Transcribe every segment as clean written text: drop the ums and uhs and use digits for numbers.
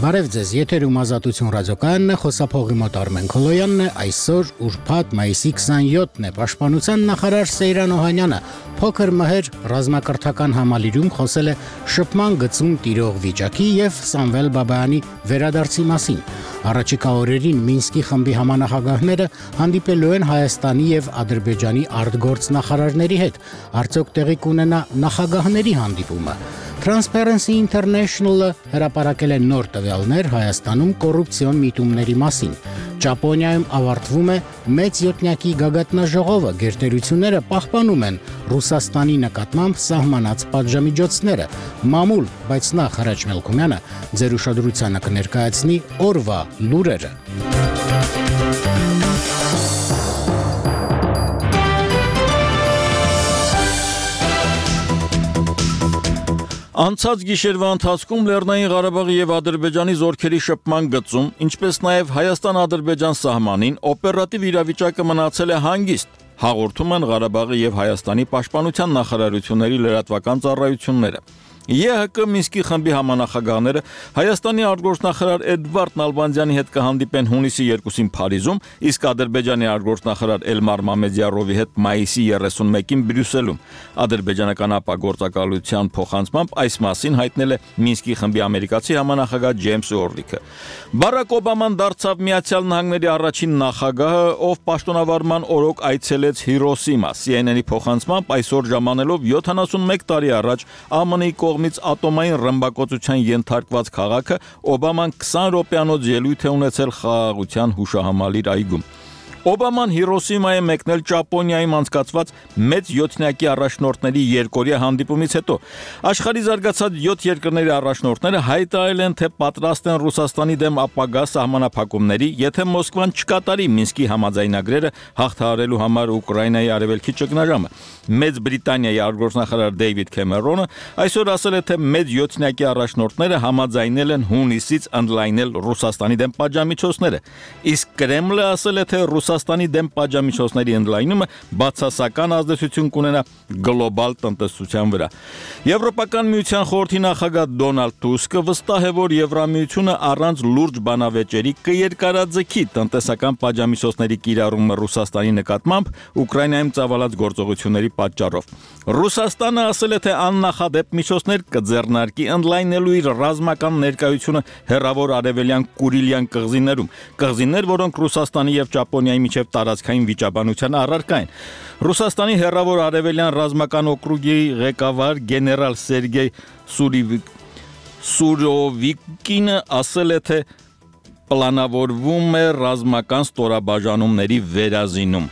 Բարև ձեզ, եթերում Ազատություն ռադիոկայանն է, խոսափողի մոտ Արմեն Քոլոյանն է, այսօր ուրբաթ մայիսի 27-ն է, Պաշտպանության նախարար Սեյրան Օհանյանը փոքր մհեր ռազմակրթական համալիրում խոսել է շփման գծում տիրող վիճակի եւ Սամվել Բաբայանի վերադարձի մասին։ Առաջիկա օրերին Մինսկի խմբի համանախագահները հանդիպելու են Հայաստանի եւ Ադրբեջանի արտգործնախարարների հետ։ Արդյոք տեղի կունենա նախագահների հանդիպումը։ Transparency International-ը հրապարակել է նոր տվյալներ Հայաստանում կոռուպցիոն միտումների մասին։ Ճապոնիայում ավարտվում է մեծ յոթնյակի գագաթնաժողովը, գերտերությունները պահպանում են Ռուսաստանի նկատմամբ սահմանած պատժամիջոցները։ Մամուլ, բայց նախ Հրաչ Մելքումյանը ձեր ուշադրությանը կներկայացնի օրվա լուրերը։ Անցած գիշերվա ընթացքում Լեռնային Ղարաբաղի եւ Ադրբեջանի զորքերի շփման գծում, ինչպես նաեւ Հայաստան-Ադրբեջան սահմանին օպերատիվ իրավիճակը մնացել է հանգիստ, հաղորդում են Ղարաբաղի եւ Հայաստանի պաշտպանության նախարարությունների լրատվական ծառայությունները։ ԵՀԿ Մինսկի խմբի համանախագահները Հայաստանի արտգործնախարար Էդվարդ Նալբանդյանի հետ կհանդիպեն հունիսի 2-ին Փարիզում, իսկ Ադրբեջանի արտգործնախարար Էլմար Մամեդյարովի հետ մայիսի 31-ին Բրյուսելում։ Ադրբեջանական ապագործակալության փոխանցմամբ այս մասին հայտնել է Մինսկի խմբի ամերիկացի համանախագահ Ջեյմս Օրլիքը։ Բարակ Օբաման դարձավ Միացյալ Նահանգների առաջին նախագահը, ով պաշտոնավարման օրոք այցելեց Հիրոսիմա։ CNN-ի փոխանցմամբ այսօր ժամանելով 71 տարի առաջ ԱՄՆ-ի կողմից ատոմային ռմբակոծության ենթարկված քաղաքը Օբաման 20 րոպեանոց ելույթ է ունեցել խաղաղության հուշահամալիր այգում։ Օբաման Հիրոսիմա է մեկնել Ճապոնիայում անցկացված մեծ յոթնյակի առաջնորդների երկօրյա հանդիպումից հետո։ Աշխարհի զարգացած 7 երկրների առաջնորդները հայտարարել են, թե պատրաստ են Ռուսաստանի դեմ ապագա սահմանափակումների, եթե Մոսկվան չկատարի Մինսկի համաձայնագրերը հաղթահարելու համար Ուկրաինայի արևելքի ճգնաժամը։ Մեծ Բրիտանիայի արտգործնախարար Դեյվիդ Քեմերոնը այսօր ասել է, թե մեծ յոթնյակի առաջնորդները համաձայնել են հունիսից ընդլայնել Ռուսաստանի դեմ պատժամիջոցները։ Իսկ Կրեմլը ասել է, թե Ռուսաստանի դեմ պատժամիջոցների ընդլայնումը բացասական ազդեցություն կունենա գլոբալ տնտեսության վրա։ Եվրոպական միության խորհրդի նախագահ Դոնալդ Տուսկը վստահ է, որ Եվրամիությունը առանց լուրջ բանավեճերի կերկարաձգի տնտեսական պատժամիջոցների կիրառումը Ռուսաստանի նկատմամբ Ուկրաինայում ծավալած գործողությունների պատճառով։ Ռուսաստանը ասել է, թե աննախադեպ միջոցներ կձեռնարկի ընդլայնելու իր ռազմական ներկայությունը հեռավոր արևելյան Կուրիլյան կղզիներում, որոնք Ռուսաստանի եւ Ճապոնիայի միջև տարածքային վիճաբանության առարկա են։ Ռուսաստանի հեռավոր արևելյան ռազմական օկրուգի ղեկավար գեներալ Սերգեյ Սուրովիկինը ասել է, թե պլանավորվում է ռազմական ստորաբաժանումների վերազինում։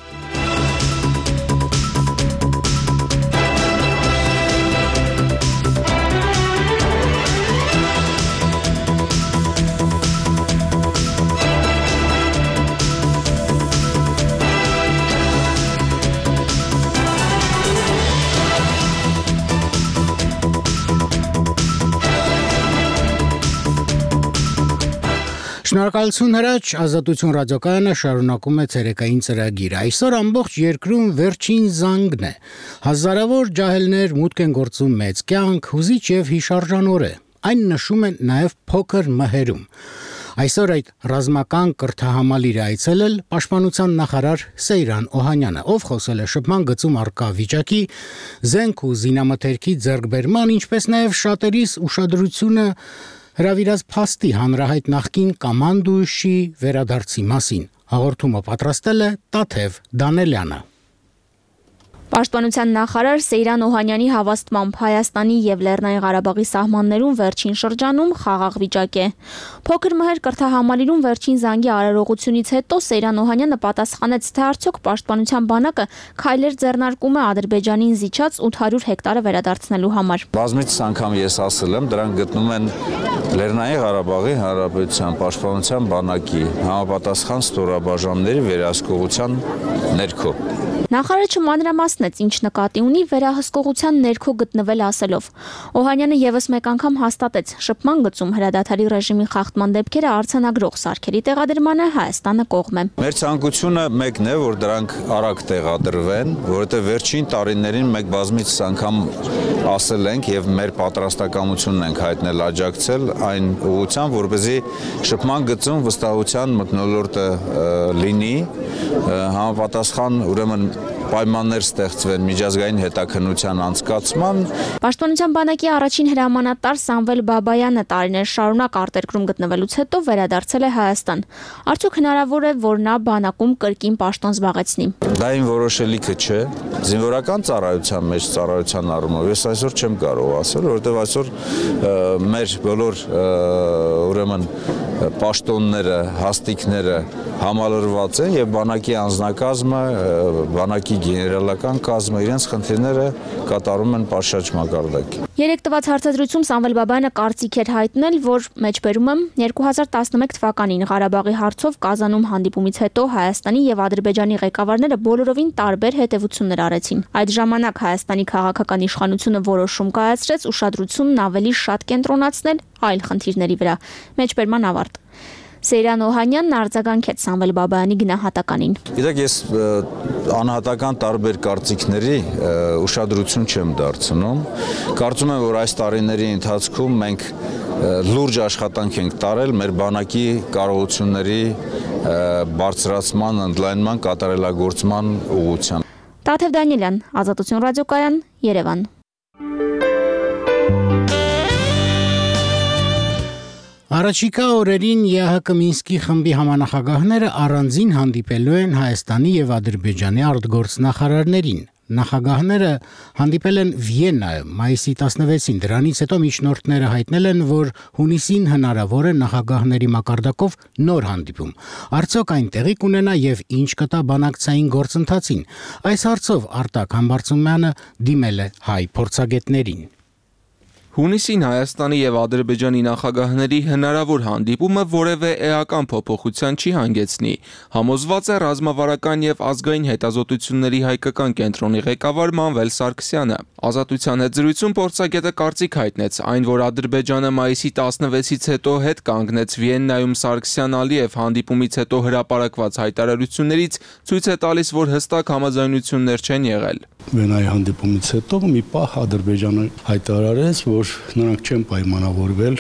Շնորհակալություն Հրաչ, Ազատություն ռադիոկայանը շարունակում է ցերեկային ծրագիրը։ Այսօր ամբողջ երկրում վերջին զանգն է։ Հազարավոր ջահելներ մուտք են գործում մեծ կյանք, հուզիչ եւ հիշարժան օր է։ Այն նշում են նաեւ փոքր մհերում։ Այսօր այդ ռազմական կրթահամալիրը այցելել պաշտպանության նախարար Սեյրան Օհանյանը, ով խոսել է շփման գծում առկա վիճակի, զենք ու զինամթերքի ձեռքբերման, ինչպես նաեւ շատերիս ուշադրությունը հրավիրած փաստի հանրահայտ նախկին կամանդուշի վերադարձի մասին։ Հաղորդումը պատրաստել է Տաթև Դանելյանը։ Պաշտպանության նախարար Սեյրան Օհանյանի հավաստմամբ Հայաստանի եւ Լեռնային Ղարաբաղի սահմաններում վերջին շրջանում խաղաղ վիճակ է։ Փոքր մհեր կրթահամալիրում վերջին զանգի արարողությունից հետո Սեյրան Օհանյանը պատասխանեց, թե արդյոք պաշտպանության բանակը քայլեր ձեռնարկում է Ադրբեջանին զիջած 800 հեկտարը վերադարձնելու համար։ Բազմիցս անգամ ես ասել եմ, դրանք գտնում են Լեռնային Ղարաբաղի Հանրապետության պաշտպանության բանակի համապատասխան ստորաբաժանումների վերահսկողության ներքո։ Նախարարը չմանրամասնեց, ինչ նկատի ունի վերահսկողության ներքո գտնվել ասելով։ Օհանյանը եւս մեկ անգամ հաստատեց, շփման գծում հրադադարի ռեժիմի խախտման դեպքերը արձանագրող սարքերի տեղադրմանը Հայաստանը կողմ է։ Մեր ցանկությունը մեկն է, որ դրանք արագ տեղադրվեն, որովհետև վերջին տարիներին մենք բազմիցս անգամ ասել ենք եւ մեր պատրաստակամությունն ենք հայտնել աջակցել այն ուղղությամբ, որպեսզի շփման գծում վստահության մթնոլորտը լինի, համապատասխան ուրեմն պայմաններ ստեղծվեն միջազգային հետաքննության անցկացման։ Պաշտպանության բանակի առաջին հրամանատար Սամվել Բաբայանը տարիներ շարունակ արտերկրում գտնվելուց հետո վերադարձել է Հայաստան։ Արդյոք հնարավոր է, որ նա բանակում կրկին պաշտոն զբաղեցնի։ Դա իմ որոշելիքը չէ։ Զինվորական ծառայության մեջ ծառայության առումով ես այսօր չեմ կարող ասել, որովհետև այսօր մեր բոլոր ուրեմն պաշտոնները, հաստիկները համալրված են եւ բանակի անձնակազմը, բանակի գեներալական կազմը իրենց խնդիրները կատարում են պատշաճ մակարդակի։ Երեք տված հարցադրույցում Սամվել Բաբայանը կարծիք էր հայտնել, որ մեջբերում եմ 2011 թվականին Ղարաբաղի հարցով Կազանում հանդիպումից հետո Հայաստանի եւ Ադրբեջանի ղեկավարները բոլորովին տարբեր հետևություններ արեցին։ Այդ ժամանակ Հայաստանի քաղաքական իշխանությունը որոշում կայացրեց ուշադրությունն ավելի շատ կենտրոնացնել այլ խնդիրների վրա։ Մեջբերման ավարտ։ Սեյրան Օհանյանն արձագանքեց Սամվել Բաբայանի գնահատականին։ Գիտեք, ես անհատական տարբեր կարծիքների ուշադրություն չեմ դարձնում։ Կարծում եմ, որ այս տարիների ընթացքում մենք լուրջ աշխատանք ենք տարել մեր բանակի կարողությունների բարձրացման, ընդլայնման, կատարելագործման ուղղությամբ։ Տաթև Դանիելյան, Ազատություն ռադիոկայան, Երևան։ Առաջիկա օրերին ԵԱՀԿ Մինսկի խմբի համանախագահները առանձին հանդիպելու են Հայաստանի եւ Ադրբեջանի արտգործնախարարներին։ Նախագահները հանդիպել են Վիեննայում մայիսի 16-ին, դրանից հետո միջնորդները հայտնել են, որ հունիսին հնարավոր է նախագահների մակարդակով նոր հանդիպում։ Արդյոք այն տեղի կունենա եւ ինչ կտա բանակցային գործընթացին։ Այս հարցով Արտակ Համբարձումյանը դիմել է հայ փորձագետներին։ Հունիսին Հայաստանի եւ Ադրբեջանի նախագահների հնարավոր հանդիպումը որևէ էական փոփոխության չի հանգեցնի, համոզված է ռազմավարական եւ ազգային հետազոտությունների հայկական կենտրոնի ղեկավար Մանվել Սարգսյանը։ Ազատության հետ զրույցում փորձագետը կարծիք հայտնեց, այն որ Ադրբեջանը մայիսի 16-ից հետո հետ կանգնեց Վիեննայում Սարգսյան-Ալիև հանդիպումից հետո հրապարակված հայտարարություններից ցույց է տալիս, որ հստակ համաձայնություններ չեն եղել։ Վիեննայի հանդիպումից հետո մի պահ Ադրբեջանը հայտարարեց, որ նրանք չեն պայմանավորվել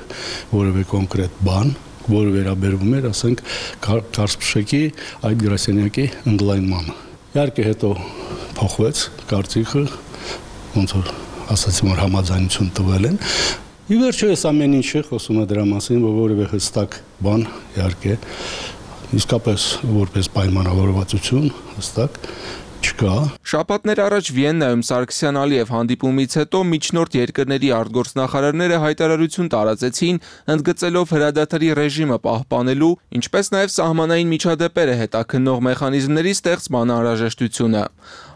որևէ կոնկրետ բան, որը վերաբերվում էր, ասենք, Կարսպշեկի այդ գրասենյակի ընդլայնմանը։ Իհարկե հետո փոխվեց կարծիքը, ոնց որ ասացին, որ համաձայնություն տվել են։ Ի վերջո այս ամեն ինչը խոսում է դրա մասին, որ որևէ հստակ բան, իհարկե, իսկապես որպես պայմանավորվածություն հստակ չկա։ Շաբաթներ առաջ Վիեննայում Սարգսյան-Ալիև հանդիպումից հետո միջնորդ երկրների արտգործնախարարները հայտարարություն տարածեցին, ընդգծելով հրադադարի ռեժիմը պահպանելու, ինչպես նաև սահմանային միջադեպերը հետաքննող մեխանիզմների ստեղծման անհրաժեշտությունը։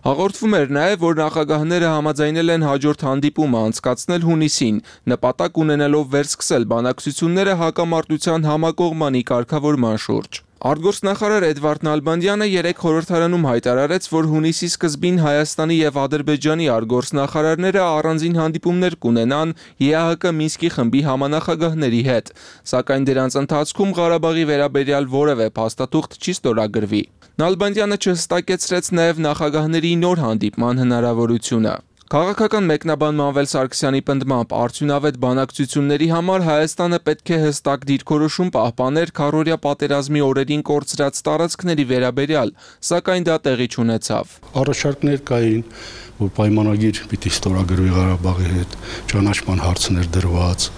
Հաղորդվում էր նաև, որ նախագահները համաձայնել են հաջորդ հանդիպումը անցկացնել հունիսին, նպատակ ունենալով վերսկսել բանակցությունները հակամարտության համակողմանի կարգավորման շուրջ։ Արտգործնախարար Էդվարդ Նալբանդյանը երեկ խորհրդարանում հայտարարեց, որ հունիսի սկզբին Հայաստանի եւ Ադրբեջանի արտգործնախարարները առանձին հանդիպումներ կունենան ԵԱՀԿ Մինսկի խմբի համանախագահների հետ, սակայն դրանց ընթացքում Ղարաբաղի վերաբերյալ որևէ փաստաթուղթ չի ստորագրվի։ Նալբանդյանը չհստակեցրեց նաեւ նախագահների նոր հանդիպման հնարավորությունը։ Քաղաքական մեկնաբան Մանվել Սարգսյանի պնդմամբ արդյունավետ բանակցությունների համար Հայաստանը պետք է հստակ դիրքորոշում պահպաներ քառօրյա պատերազմի օրերին կորցրած տարածքների վերաբերյալ, սակայն դա տեղի չունեցավ։ Առաջարկներ կային, որ պայմանագիր պիտի ստորագրվի Ղարաբաղի հետ, ճանաչման հարցներ դրված,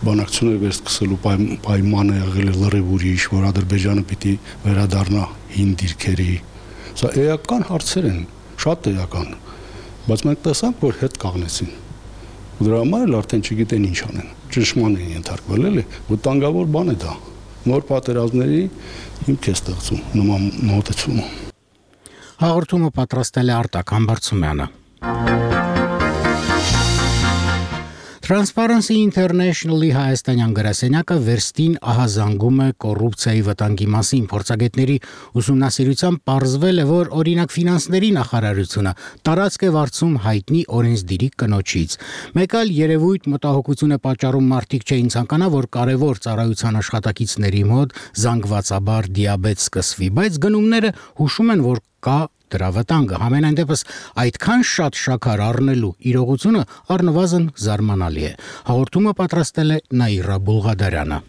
բանակցություններ վերսկսելու պայմանը եղել է լրիվ ուրիշ, որ Ադրբեջանը պիտի վերադառնա հին դիրքերի։ Սա էական հարցեր են, շատ էական։ Բայց մենք տեսանք, որ հետ կանգնեցին։ Դրա համար էլ արդեն չգիտեն ինչ անեն։ Ճնշման են ենթարկվել, էլի, վտանգավոր բան է դա։ Նոր պատերազմների հիմք է ստեղծում նման մոտեցումը։ Հաղորդումը պատրաստել է Արտակ Համբարձումյանը։ Transparency International-ի հայաստանյան գրասենյակը վերստին ահազանգում է կոռուպցիայի վտանգի մասին։ Փորձագետների ուսումնասիրությամբ պարզվել է, որ օրինակ ֆինանսների նախարարությունը տարածք է վարձում հայտնի օրենսդիրի կնոջից։ Մեկ այլ երևույթ մտահոգություն է պատճառում մարդիկ չէին ցանկանա, որ կարևոր ծառայության աշխատակիցների մոտ զանգվածաբար դիաբետ սկսվի, բայց գնումները հուշում են, որ կա դրա վտանգը։ Համենայն դեպս այդքան շատ շաքար առնելու իրողությունը առնվազն զարմանալի է։ Հաղորդումը պատրաստել է Նաիրա Բուլղադարյանը։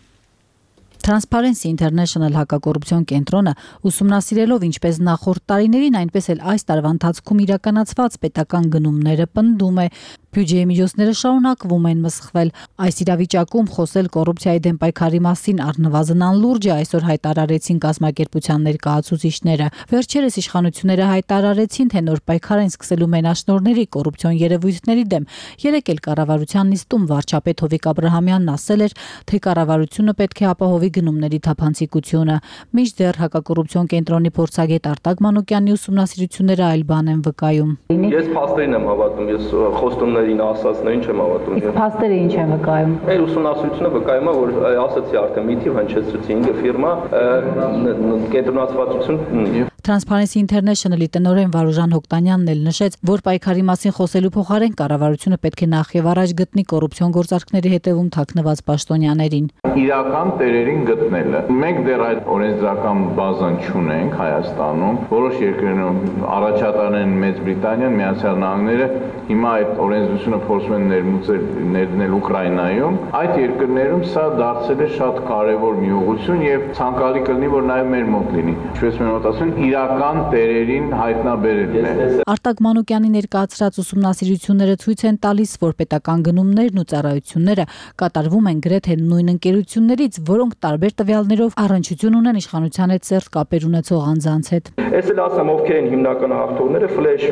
Transparency International հակակոռուպցիոն կենտրոնը ուսումնասիրելով ինչպես նախորդ տարիներին, այնպես էլ այս տարվա ընթացքում իրականացված պետական գնումները պնդում է, բյուջեի միջոցները շարունակվում են մսխվել։ Այս իրավիճակում խոսել կոռուպցիայի դեմ պայքարի մասին առնվազն անլուրջ է, այսօր հայտարարեցին կազմակերպության ներկայացուցիչները։ Վերջերս իշխանությունները հայտարարեցին, թե նոր պայքար են սկսելու մենաշնորհների կոռուպցիոն երևույթների դեմ։ Երեկ էլ կառավարության նիստում վարչապետ Հովիկ Աբրահամյանն ասել էր, թե կառավարությունը պետք է ապահովի գնումների թափանցիկությունը։ Մինչդեռ հակակոռուպցիոն կենտրոնի փորձագետ Արտակ Մանուկյանի ուսումնասիրությունները այլ բան են վկայում։ Ես փաստերին եմ հավատում, ես խոստումներին ասածներին չեմ հավատում։ Իսկ փաստերը ինչ են վկայում։ Մեր ուսումնասիրությունը վկայում է, որ ասացի արդեն մի թիվ հնչեցրեցի 5 ֆիրմա կենտրոնացվածություն։ Transparency International-ի տնօրեն Վարուժան Հոկտանյանն էլ նշեց, որ պայքարի մասին խոսելու փոխարեն կառավարությունը պետք է նախ եւ առաջ գտնի կոռուպցիոն գործարքների հետևում թաքնված պաշտոնյաներին։ Իրական տերերին գտնելը։ Մենք դեռ այդ օրենսդրական բազան չունենք Հայաստանում, որոշ երկրներում առաջատարն են Մեծ Բրիտանիան, Միացյալ Նահանգները, հիմա այդ օրենսդրությունը փորձում են ներդնել Ուկրաինայում։ Այդ երկրներում սա դարձել է շատ կարևոր մի ուղղություն եւ ցանկալի կլինի, որ նաեւ մեր մոտ լինի։ Ինչպես մենք ասում, իրական տերերին հայտնաբերելն է։ Արտակ Մանուկյանի ներկայացրած ուսումնասիրությունները ցույց են տալիս, որ պետական գնումներն ու ծառայությունները կատարվում են գրեթե նույն ընկերություններից, որոնք տարբեր տվյալներով առնչություն ունեն իշխանության հետ սերտ կապեր ունեցող անձանց հետ։ Ես էլ ասեմ, ովքեր են հիմնական հաղթողները, Flash,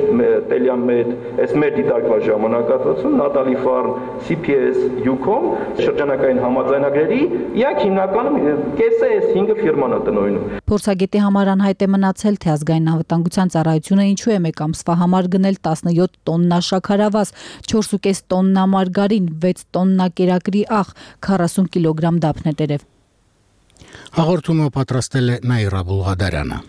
Teliamed, այս մեր դիտարկված ժամանակահատվածում, Natalie Farm, CPS, Ucom, շրջանակային համաձայնագրերի, իրանք հիմնականում կեսը այս 5 ֆիրման է տնօրինում։ Փորձագետի համար անհայտ է մնացել, թե ազգային անվտանգության ծառայությունը ինչու է մեկ ամսվա համար գնել 17 տոննա շաքարավազ, 4.5 տոննա մարգարին, 6 տոննա կերակրի աղ, 40 կիլոգրամ դափնետերև։ Հաղորդումը պատրաստել է Նաիրա Բուլղադարյանը։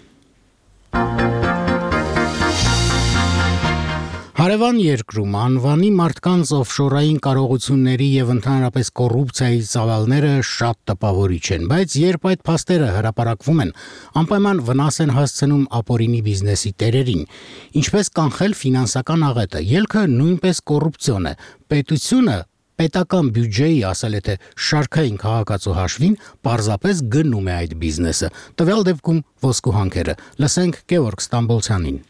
Հարևան երկրում անվանի մարդկանց օֆշորային կարողությունների եւ ընդհանրապես կոռուպցիայի ծավալները շատ տպավորիչ են, բայց երբ այդ փաստերը հրապարակվում են, անպայման վնաս են հասցնում ապօրինի բիզնեսի տերերին։ Ինչպես կանխել ֆինանսական աղետը, ելքը նույնպես կոռուպցիոն է։ Պետությունը պետական բյուջեի ասել է, թե շարքային քաղաքացու հաշվին պարզապես գնում է այդ բիզնեսը։ Տվյալ դեպքում ոսկու հանքերը։ Լսենք Գևորգ Ստամբոլցյանին։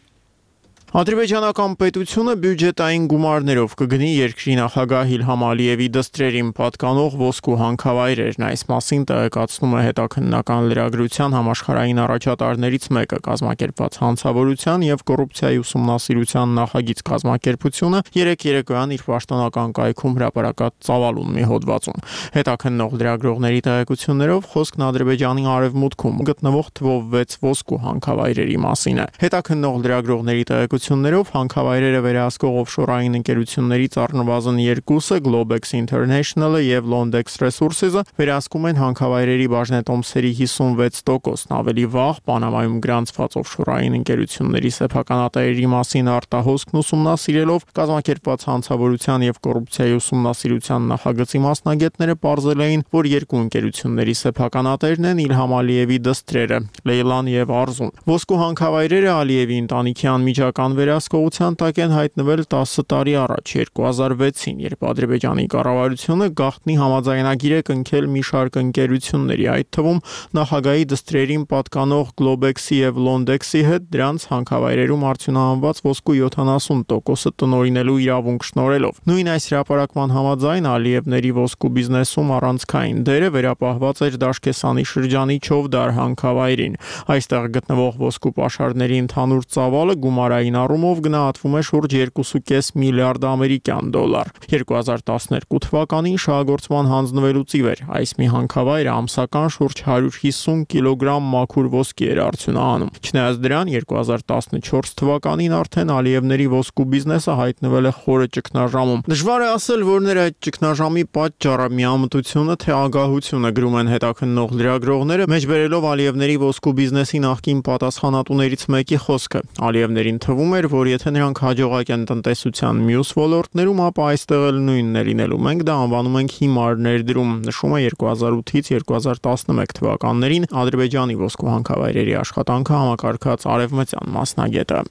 Ադրբեջանական պետությունը բյուջետային գումարներով կգնի երկրի նախագահ Իլհամ Ալիևի դստրերին պատկանող ոսկու հանքավայրերն։ Այս մասին տեղեկացնում է հետաքննական լրագրության համաշխարհային առաջատարներից մեկը կազմակերպված հանցավորության եւ կոռուպցիայի ուսումնասիրության նախագիծ կազմակերպությունը երեկոյան իր պաշտոնական կայքում հրապարակած ծավալուն մի հոդվածում։ Հետաքննող լրագրողների տեղեկություններով խոսքն Ադրբեջանի արևմուտքում գտնվող թվով 6 ոսկու հանքավայրերի մասին է։ Հետաքննող լրագրողների տեղեկություններով հանքավայրերը վերահսկող օֆշորային ընկերություններից առնվազն երկուսը Globex International-ը եւ Londex Resources-ը վերահսկում են հանքավայրերի բաժնետոմսերի 56%-ն։ Ավելի վաղ Պանամայում գրանցված օֆշորային ընկերությունների սեփականատերերի մասին արտահոսքն ուսումնասիրելով կազմակերպված հանցավորության եւ կոռուպցիայի ուսումնասիրության նախագծի մասնագետները պարզել էին, որ երկու ընկերությունների սեփականատերն են Իլհամ Ալիևի դստրերը՝ Լեյլան եւ Արզուն։ Ոսկու հանքավայրերը Ալիևի ընտանիքի անմիջական վերահսկողության տակ են հայտնվել 10 տարի առաջ 2006-ին, երբ Ադրբեջանի կառավարությունը գաղտնի համաձայնագիր է կնքել մի շարք ընկերությունների, այդ թվում նախագահի դստրերին պատկանող Globex-ի եւ Londex-ի հետ դրանց հանքավայրերում արդյունահանված ոսկու 70%-ը տնօրինելու իրավունք շնորհելով։ Նույն այս հրապարակման համաձայն Ալիևների ոսկու բիզնեսում առանցքային դերը վերապահված էր Դաշկեսանի շրջանի Չովդար հանքավայրին։ Այստեղ գտնվող ոսկու պաշարների ընդհանուր ծավալը գումարային առումով գնահատվում է շուրջ 2.5 միլիարդ ամերիկյան դոլար։ 2012 թվականին շահագործման հանձնվելուց ի վեր այս միհանքավայրը ամսական շուրջ 150 կիլոգրամ մաքուր ոսկի էր արձյունահանում։ Չնայած դրան 2014 թվականին արդեն Ալիևների ոսկու բիզնեսը հայտնվել է խորը ճգնաժամում։ Դժվար է ասել, որներ այդ ճգնաժամի պատճառը միամտությունը թե ագահությունը, գրում են հետաքննող լրագրողները, մեջբերելով Ալիևների ոսկու բիզնեսի նախկին պատասխանատուներից մեկի խոսքը։ Ալիևներին թվում էր, որ եթե նրանք հաջողակ են տնտեսության մյուս ոլորտներում, ապա այստեղ էլ նույնն է լինելու։ Մենք դա անվանում ենք հիմար ներդրում, նշում է 2008-ից 2011 թվականներին Ադրբեջանի ոսկու հանքավայրերի աշխատանքը համակարգած արևմտյան մասնագետը։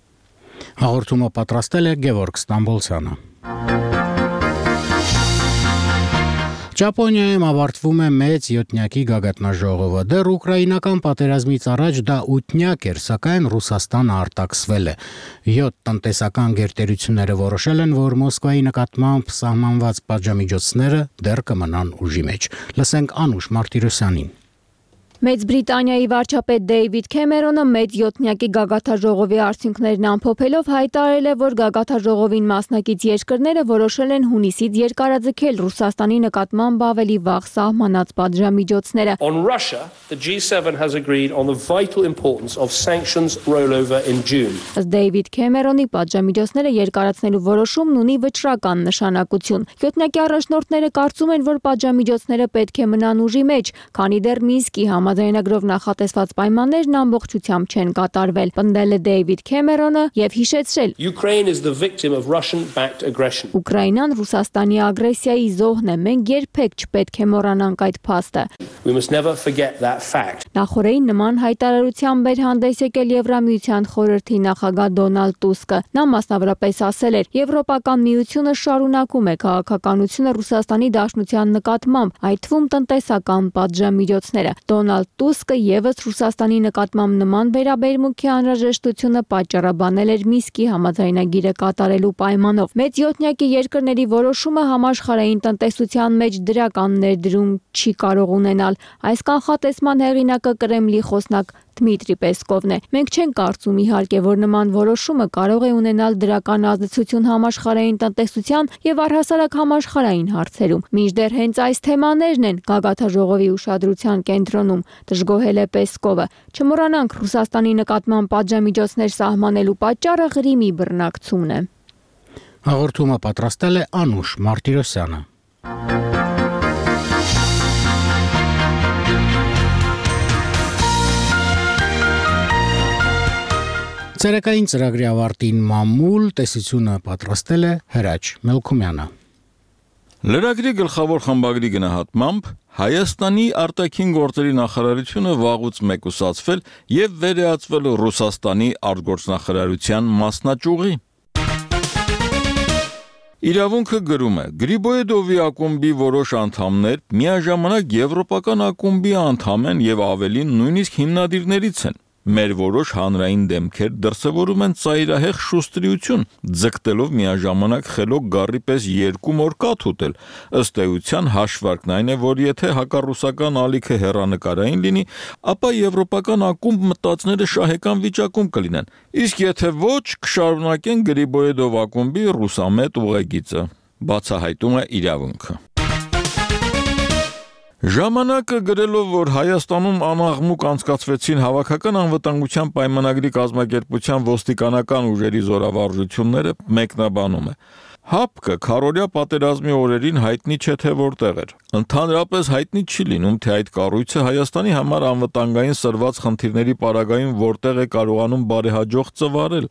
Հաղորդումը պատրաստել է Գևորգ Ստամբոլցյանը։ Ճապոնիայում ավարտվում է մեծ յոթնյակի գագաթնաժողովը։ Դեռ ուկրաինական պատերազմից առաջ դա 8-նյակ էր, սակայն Ռուսաստանը արտաքսվել է։ 7 տնտեսական գերտերությունները որոշել են, որ Մոսկվայի նկատմամբ սահմանված պատժամիջոցները դեռ կմնան ուժի մեջ։ Լսենք Անուշ Մարտիրոսյանին։ Մեծ Բրիտանիայի վարչապետ Դեյվիդ Քեմերոնը մեծ յոթնյակի գագաթնաժողովի արդյունքներն ամփոփելով հայտարարել է, որ գագաթնաժողովին մասնակից երկրները որոշել են հունիսից երկարաձգել Ռուսաստանի նկատմամբ ավելի վաղ սահմանած պատժամիջոցները։ On Russia, the G7 has agreed on the vital importance of sanctions rollover in June. Ըստ Դեյվիդ Քեմերոնի պատժամիջոցները երկարացնելու որոշումն ունի վճռական նշանակություն։ Յոթնյակի առաջնորդները կարծում են, որ պատժամիջոցները պետք է մնան ուժի մեջ, քանի դեռ Մինսկի Համաձայնագրով նախատեսված պայմաններն ամբողջությամբ չեն կատարվել, պնդել է Դեյվիդ Քեմերոնը եւ հիշեցրել. Ukraine is the victim of Russian-backed aggression. Ուկրաինան Ռուսաստանի ագրեսիայի զոհն է, մենք երբեք չպետք է մոռանանք այդ փաստը։ We must never forget that fact. Նախորդին նման հայտարարությամբ էր հանդես եկել Եվրամիության խորհրդի նախագահ Դոնալդ Տուսկը։ Նա մասնավորապես ասել էր. Եվրոպական միությունը շարունակում է քաղաքականությունը Ռուսաստանի Դաշնության նկատմամբ, այդ թվում տնտեսական պատժամիջոցները։ Դոնալդ Տուսկը եւս Ռուսաստանի նկատմամբ նման վերաբերմունքի անհրաժեշտությունը պատճառաբանել էր Մինսկի համաձայնագիրը կատարելու պայմանով։ Մեծ յոթնյակի երկրների որոշումը համաշխարհային տնտեսության մեջ դրական ներդրում չի կարող ունենալ։ Այս կանխատեսման հեղինակը Կրեմլի խոսնակ Դմիտրի Պեսկովն է։ Մենք չենք կարծում իհարկե, որ նման որոշումը կարող է ունենալ դրական ազդեցություն համաշխարհային տնտեսության եւ առհասարակ համաշխարհային հարցերում։ Մինչդեռ հենց այս թեմաներն են գագաթնաժողովի ուշադրության կենտրոնում, դժգոհել է Պեսկովը։ Չմոռանանք, Ռուսաստանի նկատմամբ պատժամիջոցներ սահմանելու պատճառը Ղրիմի բռնակցումն է։ Հաղորդումը պատրաստել է Անուշ Մարտիրոսյանը։ Ցերեկային ծրագրի ավարտին մամուլ տեսությունը պատրաստել է Հրաչ Մելքումյանը։ Լրագրի գլխավոր խմբագրի գնահատմամբ Հայաստանի արտաքին գործերի նախարարությունը վաղուց մեկուսացվել եւ վերեացվել Ռուսաստանի արտգործնախարարության մասնաճյուղի։ Իրավունքը գրում է. Գրիբոյեդովի ակումբի որոշ անդամներ միաժամանակ եվրոպական ակումբի անդամ են եւ ավելին նույնիսկ հիմնադիրներից են։ Մեր որոշ հանրային դեմքեր դրսևորում են ծայրահեղ շուստրիություն, ձգտելով միաժամանակ խելոք գառի պես երկու մոր կաթ ուտել։ Ըստ էության հաշվարկն այն է, որ եթե հակառուսական ալիքը հեռանկարային լինի, ապա եվրոպական ակումբ մտածները շահեկան վիճակում կլինեն։ Իսկ եթե ոչ, կշարունակեն Գրիբոյեդով ակումբի ռուսամետ ուղեգիծը, բացահայտում է իրավունքը։ Ժամանակը գրելով, որ Հայաստանում անաղմուկ անցկացվեցին հավաքական անվտանգության պայմանագրի կազմակերպության ոստիկանական ուժերի զորավարժությունները, մեկնաբանում է. Հապկը քարորյա պատերազմի օրերին հայտնի չէ թե որտեղ էր։ Ընդհանրապես հայտնի չի լինում, թե այդ կառույցը Հայաստանի համար անվտանգային սրված խնդիրների պարագայում որտեղ է կարողանում բարեհաջող ծվարել։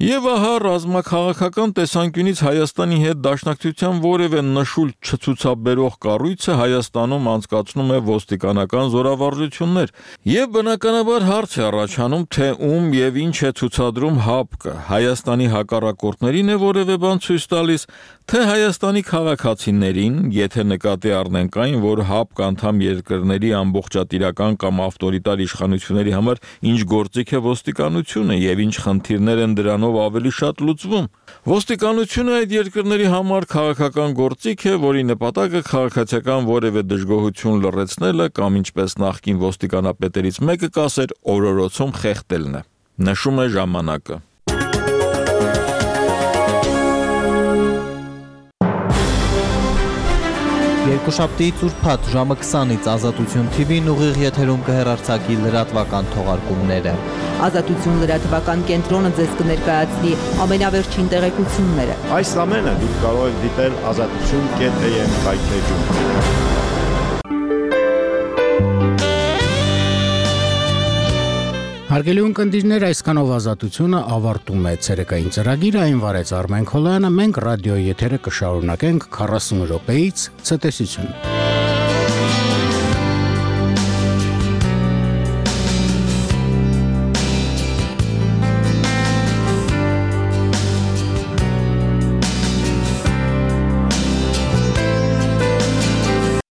Եվ ահա ռազմաքաղաքական տեսանկյունից Հայաստանի հետ դաշնակցության որևէ նշույլ չցուցաբերող կառույցը Հայաստանում անցկացնում է ոստիկանական զորավարժություններ։ Եվ բնականաբար հարց է առաջանում, թե ում եւ ինչ է ցուցադրում հապկը, Հայաստանի հակառակորդներին է որևէ բան ցույց տալիս, թե Հայաստանի քաղաքացիներին, եթե նկատի առնենք այն, որ հապկ անդամ երկրների ամբողջատիրական կամ ավտորիտար իշխանությունների համար ինչ գործիք է ոստիկանությունը եւ ինչ խնդիրներ են դրանով ավելի շատ լուծվում։ Ոստիկանությունը այդ երկրների համար քաղաքական գործիք է, որի նպատակը քաղաքացիական որևէ դժգոհություն լռեցնելը կամ ինչպես նախկին ոստիկանապետերից մեկը կասեր, օրորոցում խեղդելն է։ Նշում է ժամանակը։ Երկուշաբթիից ուրբաթ ժամը 20-ից Ազատություն TV-ն ուղիղ եթերում կհեռարձակի լրատվական թողարկումները։ Ազատություն լրատվական կենտրոնը ձեզ կներկայացնի ամենավերջին տեղեկությունները։ Այս ամենը դուք կարող եք դիտել azatutun.am կայքեջում։ Հարգելի ունկնդիրներ, այսքանով Ազատությունը ավարտում է ցերեկային ծրագիրը, այն վարեց Արմեն Քոլյանը, մենք ռադիոյի եթերը կշարունակենք 40 րոպեից ցտեսություն։